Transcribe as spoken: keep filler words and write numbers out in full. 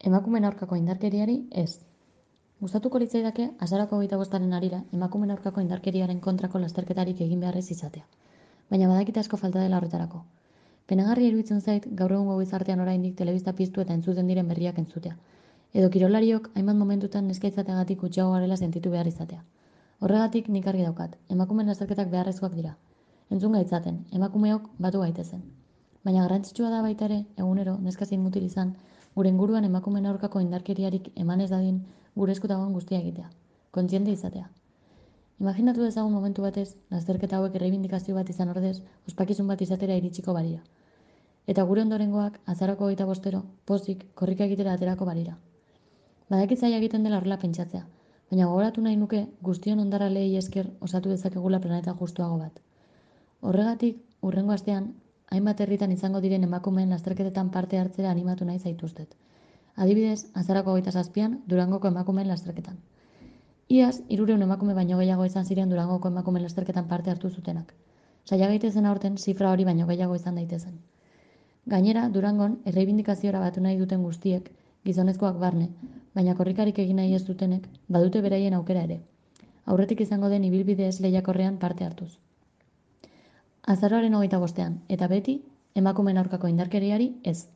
Emakumeen aurkako indarkeriari ez. Gustatuko litzaidake azaroko hogeita bostaren harira emakumeen aurkako indarkeriaren kontrako lasterketarik egin beharrez izatea. Baina badakit asko falta dela horretarako. Penagarria iruditzen zait gaur egungo gizartean oraindik telebista piztu eta entzuten diren berriak entzutea. Edo kirolariok hainbat momentutan neska izateagatik gutxiago garela sentitu behar izatea. Horregatik nik argi daukat, emakumeen lasterketak beharrezkoak dira. Entzun gaitzaten, emakumeok batu gaitezen. Baina garrantzitsua da baita ere, egunero, neska zein mutil izan, gure inguruan emakumeen aurkako indarkeriarik eman ez dadin gure esku dagoen guztia egitea. Kontziente izatea. Imaginatu dezagun momentu batez, lasterketa hauek erreibindikazio bat izan ordez, ospakizun bat izatera iritsiko balira. Eta gure ondorengoak, azaroko hogeita bostero, pozik, korrika egitera aterako balira. Badakit zaila egiten dela horrela pentsatzea, baina gogoratu nahi nuke guztion ondarra lehi esker osatu dezakegula planeta justuago bat. Horregatik, hurrengo astean, hainbat herritan izango diren emakumeen lasterketetan parte hartzera animatu nahi zaituztet. Adibidez, azarako hogeita zazpian, Durangoko emakumeen lasterketan. Iaz, hirurehun emakume baino gehiago izan ziren Durangoko emakumeen lasterketan parte hartu zutenak. Saia gaitezen aurten zifra hori baino gehiago izan daitezen. Gainera, Durangon, erreibindikaziora batu nahi duten guztiek, gizonezkoak barne, baina korrikarik egin nahi ez dutenek, badute beraien aukera ere. Aurretik izango den ibilbide ez lehiakorrean parte hartuz. Azaroaren hogeita bostean, eta beti, emakumeen aurkako indarkeriari ez.